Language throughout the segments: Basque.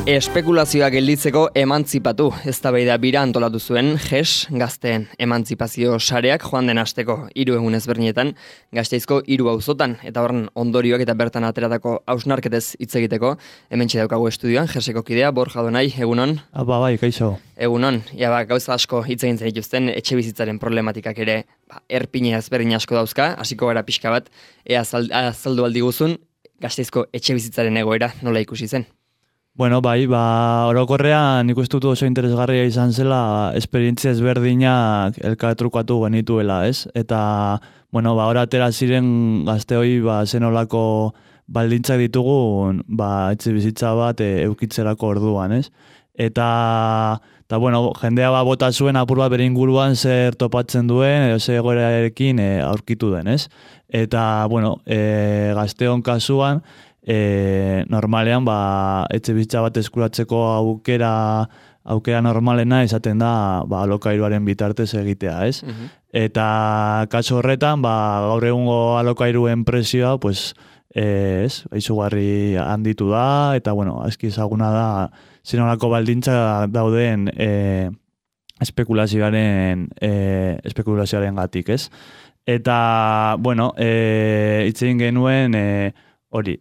Espekulazioa gelditzeko emantzipatu eztabaida bira antolatu zuen GES gazteen emantzipazio sareak joan den asteko 3 egun ezberdinetan Gasteizko 3 auzotan eta horren ondorioak eta bertan ateratako hausnarketez hitz egiteko hementxe daukagu estudioan GESeko kidea Borja Donai, egunon. Bai, kaixo. Egunon. Gauza asko hitz egin zen dituzten etxebizitzaren problematikak ere erpine ezberdin asko dauzka, hasiko gara pixka bat ea azaldu aldiguzun Gasteizko etxebizitzaren egoera nola ikusi zen. Bueno, orokorrean nik uste dut oso interesgarria izan zela esperientzia ezberdinak elkartrukatu genituela, ez? Eta, hor atera ziren gazteoi zenolako baldintzak ditugun etxe bizitza bat eukitzerako orduan, ez? Eta jendea bota zuen apur bat bere inguruan zer topatzen duen, edo zer egoerarekin aurkitu den, ez? Eta, gazteon kasuan, normalean etxe bizitza bat eskuratzeko aukera normalena izaten da alokairuaren bitartez egitea, ez? Eta kasu horretan gaur egungo alokairuen presioa izugarri handitu da eta aski ezaguna da zenolako baldintza dauden espekulazioaren gatik, ez? Eta hitz egin genuen hori,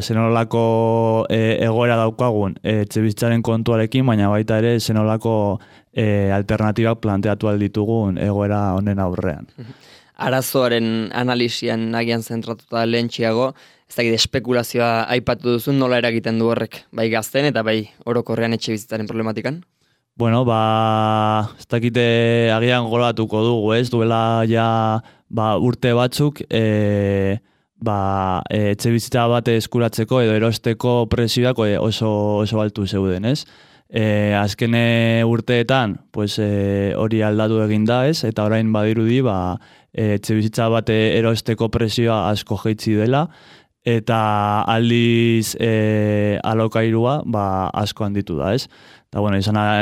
zenolako egoera daukagun etxebizitzaren kontuarekin, baina baita ere zenolako alternatibak planteatu alditugun egoera honen aurrean. Arazoaren analisian agian zentratuta lehentxiago, ez dakit espekulazioa aipatu duzun nola eragiten du horrek, bai gazten eta bai orokorrean etxebizitzaren problematikan? Ez dakite agian goratuko dugu, ez? Duela ja urte batzuk, etxe bizitza bat eskuratzeko edo erosteko presioak oso altu zeuden, ez? Azken urteetan hori aldatu egin da, ez? Eta orain badirudi etxe bizitza bat erosteko presioa asko jaitsi dela eta aldiz alokairua asko handitu da, ez? Eta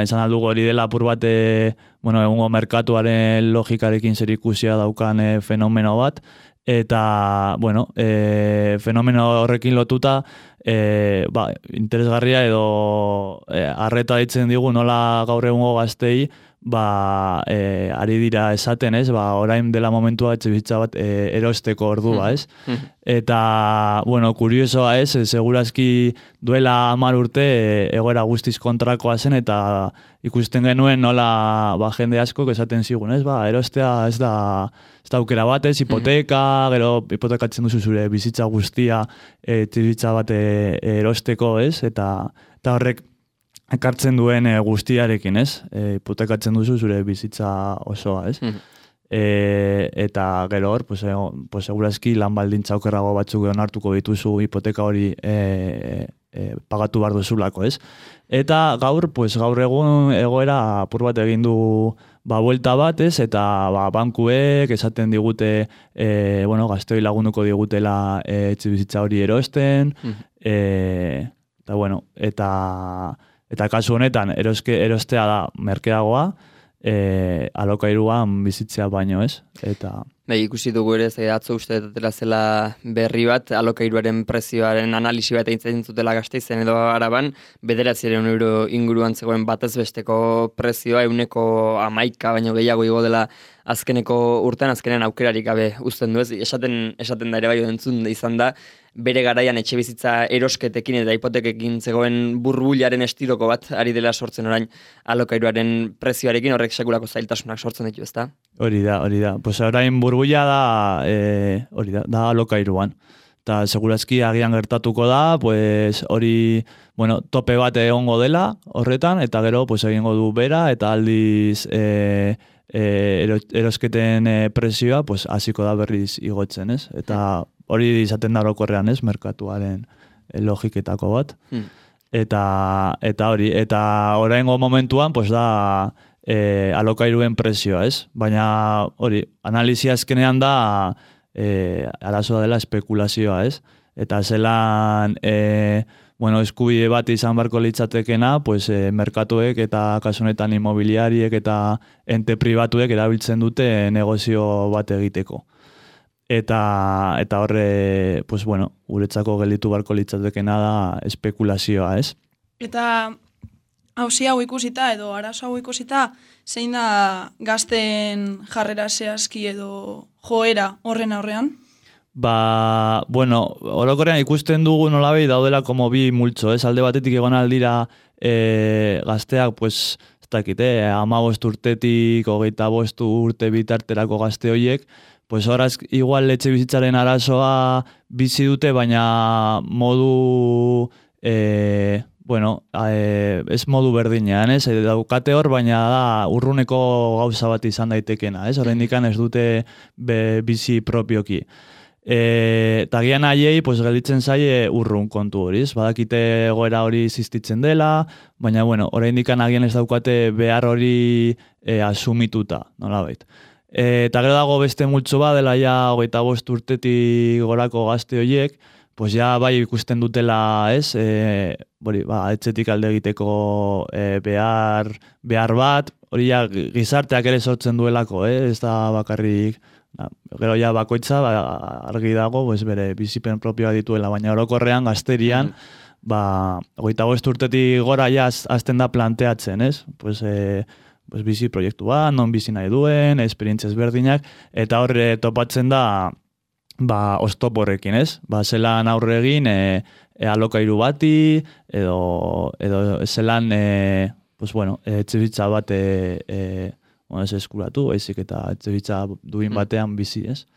izan aldugu hori dela apur bat egungo merkatuaren logikarekin zerikusia daukan fenomeno bat. Eta, fenomeno horrekin lotuta, interesgarria edo arreta ditzen digu nola gaur egungo gaztei, ari dira esaten, ez? Orain dela momentua etxebizitza bat erosteko ordua, ez? Eta, kuriosoa, ez? Segurazki duela 10 urte egoera guztiz kontrakoa zen eta ikusten genuen nola jende asko esaten zigun, ez? Erostea ez da aukera bat, ez? Hipoteka, gero hipotekatzen duzu zure bizitza guztia etxebizitza bat erosteko, ez? Eta horrek ekartzen duen guztiarekin, ez? Hipotekatzen duzu zure bizitza osoa, ez? Eta gero hor, segurazki lan baldintza okerrago batzuk onartuko dituzu hipoteka hori pagatu behar duzulako, ez? Eta gaur egun egoera apur bat egin du buelta bat, ez? Eta bankuek esaten digute, gazteoi lagunduko digutela etxe bizitza hori erosten, eta kasu honetan erostea da merkeagoa, alokairuan bizitzea baino, ez? Ikusi dugu ere, atzo uste dela zela berri bat, alokairuaren prezioaren analisi bat egin zutela Gasteizen edo Araban, 900 euro inguruan zegoen batez besteko prezioa, 11 baino gehiago igo dela azkeneko urtean, azkenen aukerarik gabe uzten du, ez? Esaten da ere bai entzun izan da, bere garaian etxe bizitza erosketekin eta hipotekekin zegoen burbularen estiloko bat ari dela sortzen orain alokairuaren prezioarekin, horrek sekulako zailtasunak sortzen ditu, ezta? Hori da. Orain burbuila da alokairuan. Eta segurazki agian gertatuko da, hori, tope bat egongo dela horretan, eta gero egingo du bera, eta aldiz erosketen presioa hasiko da berriz igotzen, ez? Eta hori izaten da orokorrean, ez? Merkatuaren logiketako bat. Eta hori, eta oraingo momentuan, da alokairuen presioa, ez? Baina hori, analisia azkenean da arazoa dela espekulazioa, ez? Eta zelan eskubide bat izan barko litzatekena, merkatuek eta kasunetan imobiliariek eta ente pribatuek erabiltzen dute negozio bat egiteko. Eta horre, guretzako gelditu barko litzatekena da espekulazioa, ez? Eta hauzi hau ikusita edo arazo hau ikusita, zein da gazten jarrera zehazki edo joera horren aurrean? Bueno, orokorrean ikusten dugu nolabait daudela como bi multzo, alde batetik egon aldira gazteak, pues, ez dakit, 15 urtetik, 25 urte bitarterako gazte horiek, pues horaz igual etxe bizitzaren arazoa bizi dute, baina modu, ez modu berdinean, daukate hor, baina da urruneko gauza bat izan daitekena, oraindik ez dute bizi propioki. Eta gian haiei, pues, gelditzen zaie urrun kontu hori, badakite egoera hori existitzen dela, baina, bueno, oraindik agian ez daukate behar hori asumituta, nolabait. Eta gero dago beste multzo bat dela ja 25 urtetik gorako gazte horiek, pues ja bai ikusten dutela, etxetik alde egiteko behar bat, hori ja gizarteak ere sortzen duelako, ez da bakarrik, gero ja bakoitza argi dago, bere bizipen propioa dituela, baina orokorrean gazterian, 25 urtetik gora ja azten da planteatzen, ez? Bizi proiektu bat, non bizi nahi duen, esperientzia ezberdinak, eta horre topatzen da oztop horrekin, ez? Zelan aurre egin alokairu bati, edo zelan, etxebitza bat ez eskuratu, baizik eta etxebitza duin batean bizi, ez?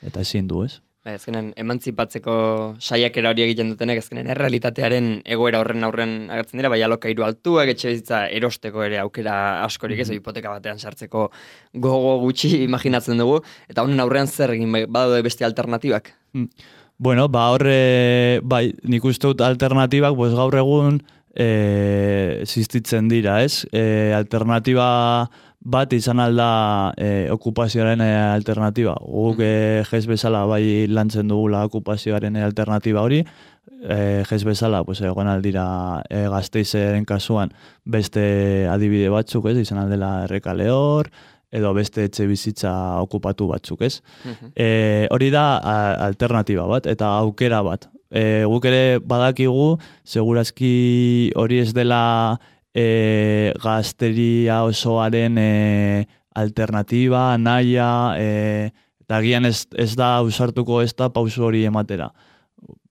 Eta ezin du, ez? Ezkenen, emantzipatzeko saiakera hori egiten dutenek, ezkenen, errealitatearen egoera horren aurren agertzen dira, bai alokairu altuak, etxebizitza erosteko ere aukera askorik ez, hipoteka batean sartzeko gogo gutxi imaginatzen dugu, eta honen aurrean zer egin badaude beste alternatibak? Bueno, horre, nik uste dut alternatibak, gaur egun existitzen dira, ez? Alternatiba bat izan alda okupazioaren alternatiba. Guk jez bezala bai lantzen dugula okupazioaren alternatiba hori, jez bezala egon aldira Gasteizeren kasuan beste adibide batzuk, ez? Izan aldela Errekalehor, edo beste etxe bizitza okupatu batzuk, ez? Hori da alternatiba bat, eta aukera bat. Guk ere badakigu, segurazki hori ez dela gazteria osoaren alternatiba, nahia, eta gian ez da ausartuko ez da pausu hori ematera.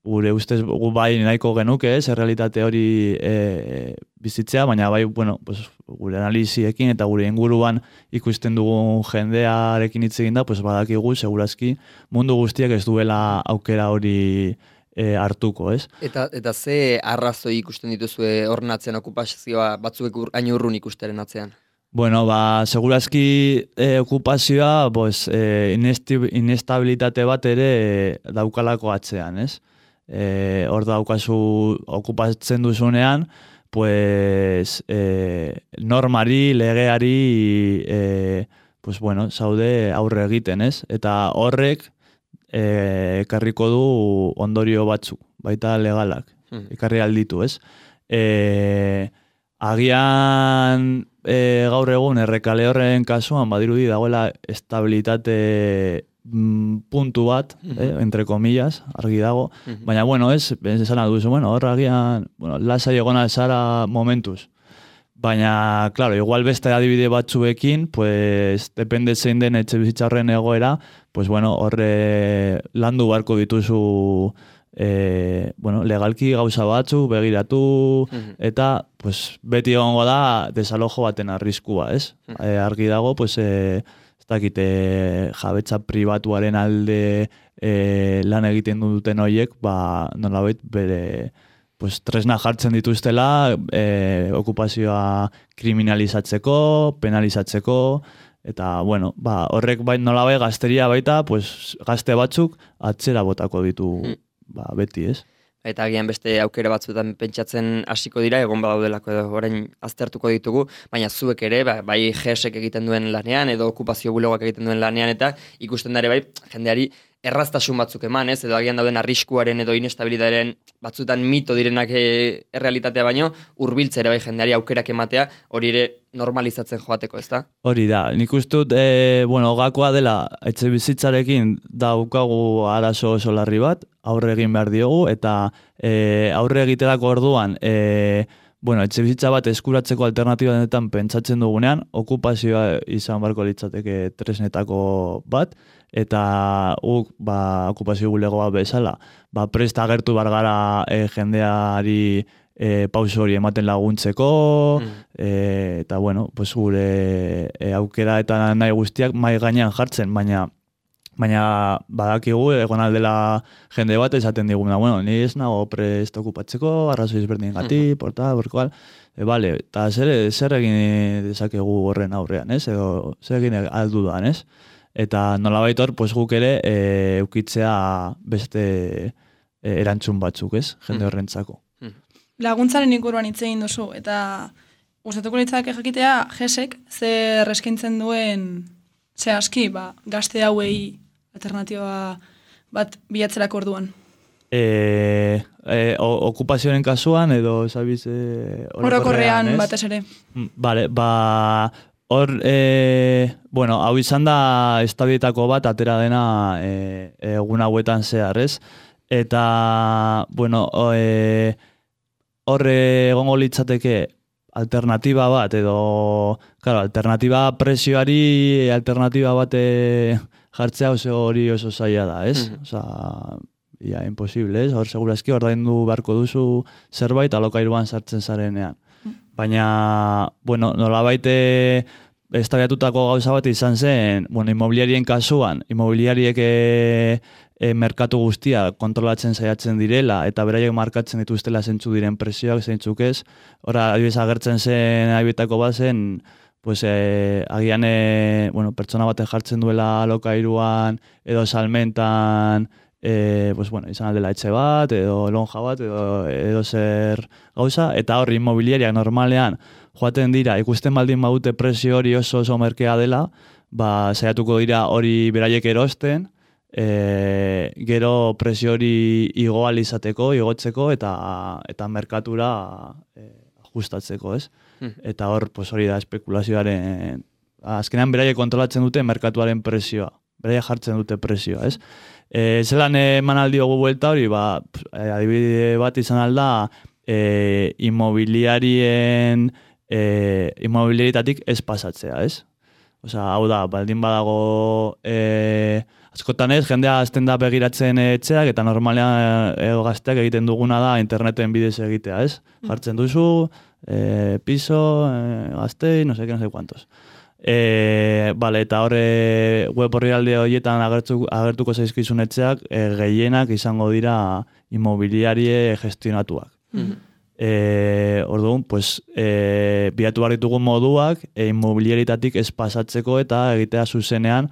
Gure ustez gu bai nahiko genuke ez, errealitate hori bizitzea, baina bai, gure analiziekin eta gure inguruan ikusten dugun jendearekin hitz egin da, badakigu, segurazki, mundu guztiak ez duela aukera hori hartuko, ez? Eta ze arrazoi ikusten dituzue horren atzean okupazioa batzuek hain urrun ikusteren atzean? Bueno, segurazki okupazioa inestabilitate bat ere daukalako atzean, ez? Hor daukazu okupatzen duzunean, normari, legeari, zaude aurre egiten, ez? Eta horrek ekarriko du ondorio batzuk, baita legalak, ekarri alditu, ez? Agian gaur egun Errekalehorren kasuan badirudi dagoela estabilitate puntu bat, entre comillas, argi dago, baina, esan alduzu, hor agian, lasai egona zara momentuz. Baina, claro, igual beste adibide batzuekin, depende zein den etxe bizitza horren egoera, horre landu barko dituzu legalki gauza batzu, begiratu, eta beti egongo da desalojo baten arriskua, ez? Argi dago, ez dakite jabetza pribatuaren alde lan egiten duten horiek, nolabait bere tresna jartzen dituztela okupazioa kriminalizatzeko, penalizatzeko, eta, horrek nolabait gazteria baita, gazte batzuk atzera botako ditu beti, ez? Eta agian beste aukera batzuetan pentsatzen hasiko dira, egon badaudelako edo orain aztertuko ditugu, baina zuek ere, bai GESek egiten duen lanean, edo okupazio bulegoak egiten duen lanean, eta ikusten dare bai, jendeari erraztasun batzuk eman, ez? Edo agian dauden arriskuaren edo inestabilitatearen batzutan mito direnak errealitatea baino, hurbiltzera bai jendeari aukerak ematea, hori ere normalizatzen joateko, ez da? Hori da, nik uste dut, gakoa dela, etxe bizitzarekin daukagu arazo oso larri bat, aurre egin behar diogu, eta aurre egiterako orduan, bueno, etxe bizitza bat eskuratzeko alternatiba denetan pentsatzen dugunean, okupazioa izan barko litzateke tresnetako bat, eta okupazio bulego bat bezala, presta agertu bargara jendeari pauso hori ematen laguntzeko, eta bueno, pues gure aukera eta nahi guztiak mai gainean jartzen, baina badakigu egon aldela jende bat esaten diguna, bueno, ni ez nago prest okupatzeko, arrazoi ezberdin gati, porkual, vale, eta zer egin dezakegu horren aurrean, ez? Edo zer egin aldudan, ez? Eta nolabait hor, pues guk ere eukitzea beste erantzun batzuk, ez? Jende horrentzako. Laguntzaren inguruan hitz egin duzu, eta gustatuko litzake jakitea GESek zer eskaintzen duen zehazki, gazte hauei alternatiba bat bilatzerako orduan. Okupazioaren kasuan edo sabiz orokorrean batez ere. Vale, hor, bueno, hau izan da estabilietako bat atera dena egun hauetan zehar, ez? Eta, bueno, hor egongo litzateke alternatiba bat, edo, claro, alternatiba presioari, alternatiba bat jartzea hori oso zaila da, ez? Osa, imposible, ez? Hor, segurazki, ordaindu beharko duzu zerbait alokairuan sartzen zarenean. Baina, bueno, nolabait estabiatutako gauza bat izan zen, bueno, inmobiliarien kasuan, inmobiliariek merkatu guztia kontrolatzen saiatzen direla, eta beraiek markatzen dituztela zeintzu diren presioak, zeintzuk ez. Hora, adibidez agertzen zen, adibetako bat zen, pues, agian, bueno, pertsona batek jartzen duela alokairuan, edo salmentan, pues, bueno, izan aldela etxe bat, edo lonja bat, edo zer gauza, eta hori inmobiliariak normalean joaten dira, ikusten baldin badute presio hori oso merkea dela, saiatuko dira hori beraiek erosten, gero presio hori igotzeko eta merkatura ajustatzeko, ez? Eta hor, pues, hori da espekulazioaren, azkenean beraiek kontrolatzen dute merkatuaren presioa, beraiek jartzen dute presioa, ez? Zelan eman aldiogu buelta hori, adibide bat izan alda, immobiliaritatik ez pasatzea, ez? Osa, hau da, baldin badago, askotan ez, jendea azten da begiratzen etxeak, eta normalean gazteak egiten duguna da interneten bidez egitea, ez? Jartzen duzu, piso, gaztei, no sé cuantos. Vale, eta horre web orrialde horietan agertuko zaizkizun etxeak, gehienak izango dira immobiliarie gestionatuak. Orduan, pues, bilatu behar ditugun moduak immobiliaritatik ez pasatzeko eta egitea zuzenean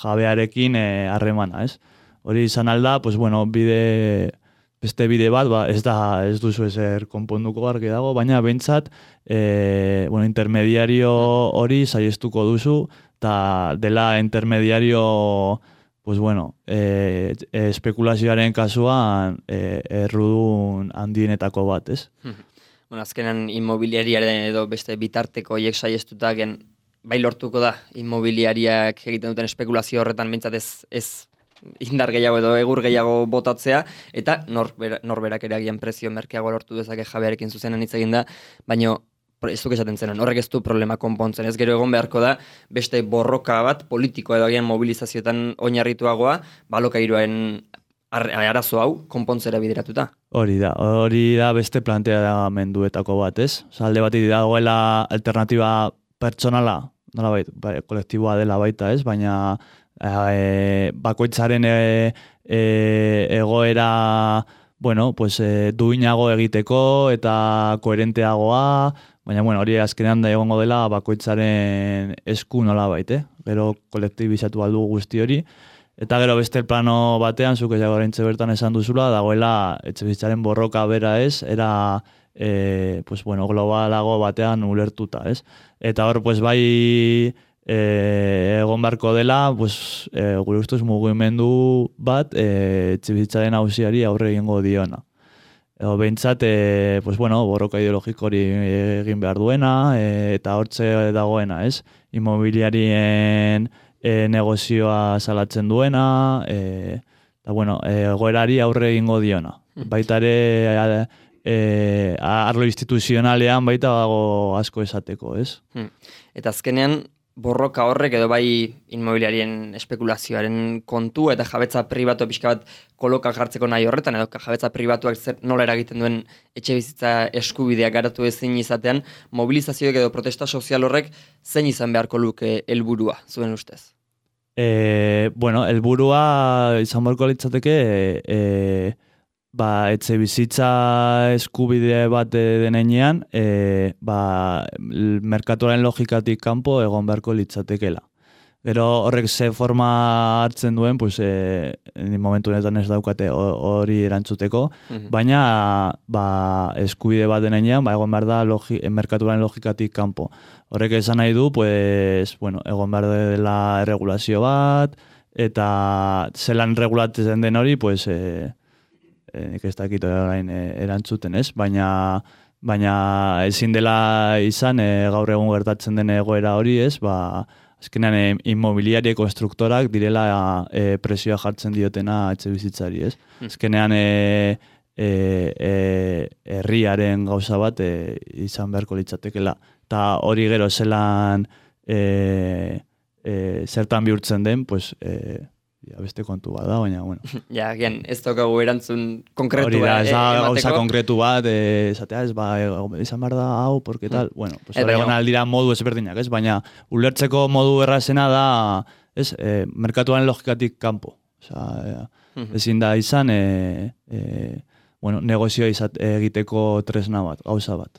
jabearekin harremana, ez? Hori izan alda, pues, bueno, beste bide bat, ez duzu ezer konponduko argi dago, baina behintzat, bueno, intermediario hori saiestuko duzu, eta dela intermediario, pues bueno, espekulazioaren kasuan errudun handienetako bat, ez? Bueno, azkenan inmobiliariaren edo beste bitarteko hiek saiestuta bai lortuko da inmobiliariak egiten duten espekulazio horretan behintzat ez indar gehiago edo egur gehiago botatzea, eta norberak ere agian prezio merkeago lortu dezake jabearekin zuzenen hitz egin da, baina ez duk esaten zen, horrek ez du problema konpontzen, ez gero egon beharko da beste borroka bat politiko edo agian mobilizazioetan oinarrituagoa, alokairuaren arazo hau konpontzera bideratuta. Hori da beste planteamenduetako bat, ez? Alde bat dagoela alternatiba pertsonala, nolabait, kolektiboa dela baita, ez? Baina bakoitzaren egoera, bueno, pues duinago egiteko eta koherenteagoa, baina bueno, hori azkenean da egongo dela bakoitzaren esku nolabait, gero kolektibizatu aldu guzti hori. Eta gero beste plano batean, zuk ez oraintxe bertan esan duzula, dagoela etxebizitzaren borroka bera ez, era pues bueno, globalago batean ulertuta, ez? Eta hor, pues bai egon beharko dela, pues gure ustez mugimendu bat etxebizitzaren auziari aurre egingo diona. Edo behintzat, pues bueno, borroka ideologiko hori egin behar duena, eta hortze dagoena, ez? Immobiliarien negozioa salatzen duena, Eta, bueno, egoerari aurre egingo diona. Baita ere, arlo instituzionalean baita dago asko esateko, ez? Eta azkenean, borroka horrek edo bai inmobiliarien espekulazioaren kontu eta jabetza pribatu pixka bat koloka jartzeko nahi horretan edo jabetza pribatuak nola eragiten duen etxe bizitza eskubideak garatu ezin izatean, mobilizazioek edo protesta sozial horrek zein izan beharko luke helburua zuen ustez? Bueno, helburua izan beharko litzateke etxe bizitza eskubide bat denean, merkatuaren logikatik kanpo egon beharko litzatekela. Gero horrek ze forma hartzen duen, pues, momentu honetan ez daukate hori erantzuteko, baina eskubide bat denean, egon behar da merkatuaren logikatik kanpo. Horrek esan nahi du, pues, bueno, egon behar dela erregulazio bat, eta zelan regulatzen den hori, pues, nik ez dakit orain erantzuten, ez? Baina ezin dela izan gaur egun gertatzen den egoera hori, ez? Azkenean inmobiliarie konstruktorak direla presioa jartzen diotena etxe bizitzari, ez? Azkenean herriaren gauza bat izan beharko litzatekela. Eta hori gero zelan zertan bihurtzen den, pues, beste kontu bat da, baina, bueno. Ja, gian, ez daukagu erantzun konkretu bat emateko. Hori da, gauza konkretu bat, esatea, izan behar da, hau, porque tal, bueno, pues horregon aldira modu ezberdinak, ez? Baina, ulertzeko modu errazena da, ez, merkatuaren logikatik kanpo. Ezin da izan, bueno, negozioa egiteko tresna bat, gauza bat.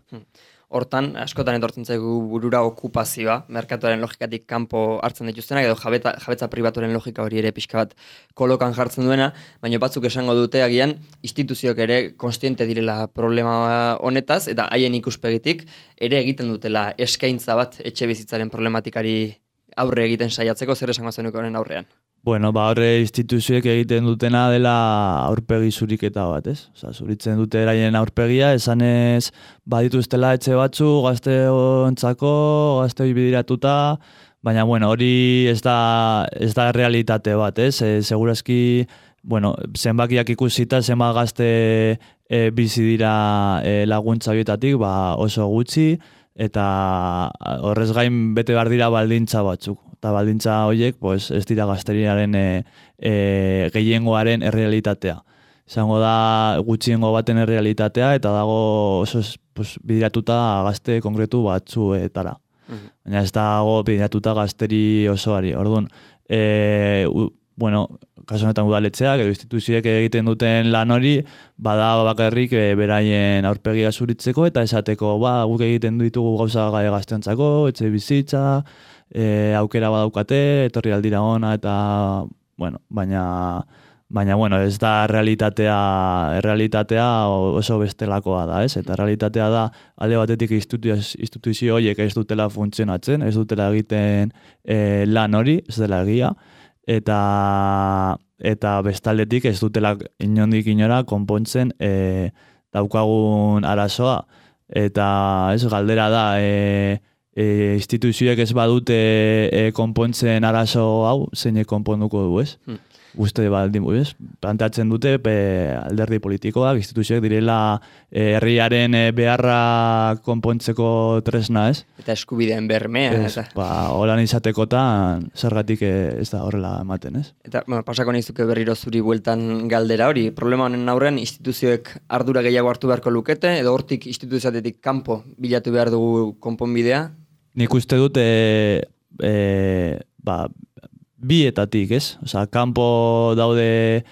Hortan, askotan etortzen zaigu burura okupazioa, merkatuaren logikatik kanpo hartzen dituztenak, edo jabetza pribatuaren logika hori ere pixka bat kolokan jartzen duena, baina batzuk esango dute agian, instituzioak ere konstiente direla problema honetaz, eta haien ikuspegitik ere egiten dutela eskaintza bat etxe bizitzaren problematikari aurre egiten saiatzeko, zer esango zenuko honen aurrean? Bueno, horre instituzioek egiten dutena dela aurpegi zuriketa bat, ez? Osa, zuritzen dute eraien aurpegia, esanez badituztela etxe batzu, gazteontzako, gazteoi bidiratuta, baina, bueno, hori ez da realitate bat, ez? Segurazki, bueno, zenbakiak ikusita, zenbat gazte bizi dira laguntza horietatik, oso gutxi, eta horrez gain bete behar dira baldintza batzuk. Eta baldintza horiek, pues, ez dira gazteriaren gehiengoaren errealitatea. Izango da gutxiengo baten errealitatea, eta dago oso bidiratuta gazte konkretu batzuetara. Baina ez dago bidiratuta gazteri osoari. Orduan, bueno, kasu honetan udaletxeak, edo instituzioek egiten duten lan hori, bada bakarrik beraien aurpegia zuritzeko, eta esateko, guk egiten ditugu gauza gazteontzako, etxe bizitza, aukera badaukate, etorri aldira ona, eta, bueno, baina, bueno, ez da realitatea oso bestelakoa da, ez? Eta realitatea da, alde batetik instituzio horiek ez dutela funtzionatzen, ez dutela egiten lan hori, ez dela egia, eta bestaldetik ez dutela inondik inora konpontzen daukagun arazoa. Eta ez galdera da, instituzioek ez badute konpontzen arazo hau, zeinek konponduko du, ez? Uste baldin, ez? Plantatzen dute alderdi politikoak, instituzioek direla herriaren beharra konpontzeko tresna, ez? Eta eskubideen bermea. Holan izatekotan zergatik ez da horrela ematen, ez? Eta pasako nizuke berriro zuri bueltan galdera hori. Problema honen aurrean instituzioek ardura gehiago hartu beharko lukete, edo hortik instituzioatetik kanpo bilatu behar dugu konponbidea? Nik uste dut bietatik, ez? Osa, kanpo daude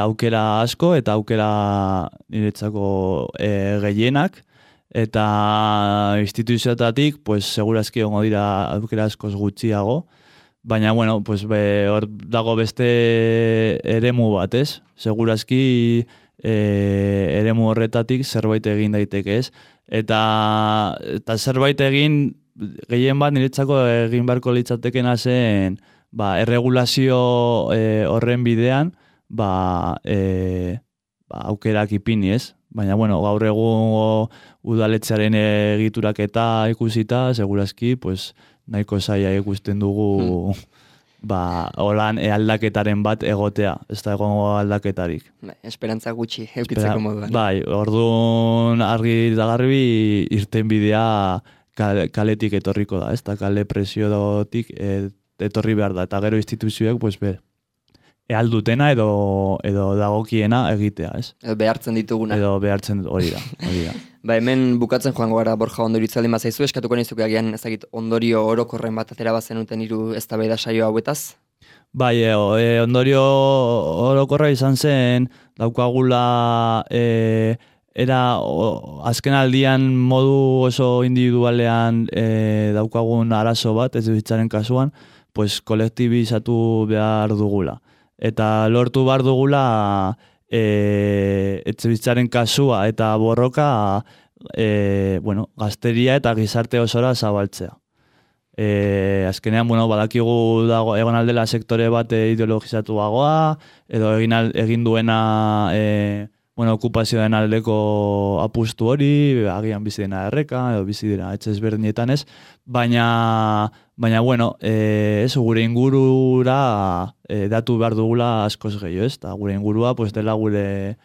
aukera asko eta aukera niretzako gehienak, eta instituzioetatik, pues, segurazki ongo dira aukera askoz gutxiago, baina, bueno, pues, hor dago beste eremu bat, ez? Segurazki eremu horretatik zerbait egin daiteke, ez? Eta zerbait egin, gehien bat niretzako egin beharko litzatekena zen, erregulazio horren bidean, aukerak ipini, ez? Baina, bueno, gaur egun udaletxearen egiturak eta ikusita, segurazki, pues, nahiko zaila ikusten dugu holan aldaketaren bat egotea, ez da egongo aldaketarik. Esperantza gutxi, eukitzeko moduan. Bai, orduan argi da garbi irten bidea kaletik etorriko da, ez da kale presiotik etorri behar da, eta gero instituzioek, pues, aldutena edo dagokiena egitea, ez? Edo behartzen dituguna. Edo behartzen hori da. Ba, hemen bukatzen joango gara Borja ondorio itzaldin bat zaizu, eskatuko nizuke agian ezagit ondorio orokorren bat atera bazenuten hiru eztabaida saio hauetaz? Bai, ondorio orokorra izan zen, daukagula azken aldian modu oso individualean daukagun arazo bat, ez bizitzaren kasuan, pues kolektibizatu behar dugula. Eta lortu behar dugula etxebizitzaren kasua eta borroka gazteria eta gizarte osora zabaltzea. Azkenean, badakigu dago egon aldela sektore bat ideologizatuagoa, edo egin duena okupazioen aldeko apustu hori, agian bizi dena erreka, edo bizi dira etxe ezberdinetan ez, baina gure ingurura datu behar dugula askoz gehiago ez, eta gure ingurua dela gure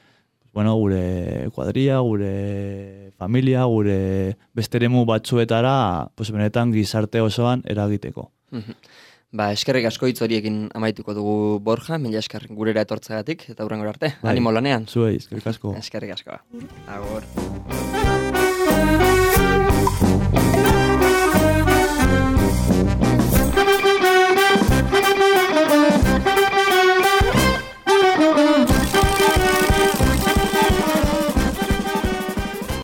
kuadria, gure familia, gure besteremu batzuetara, benetan gizarte osoan eragiteko. Ba, eskerrik asko hitz horiekin amaituko dugu Borja, mila esker gurera etortzagatik, eta hurrengora arte. Animo lanean. Zuei, eskerrik asko. Eskerrik asko. Agur.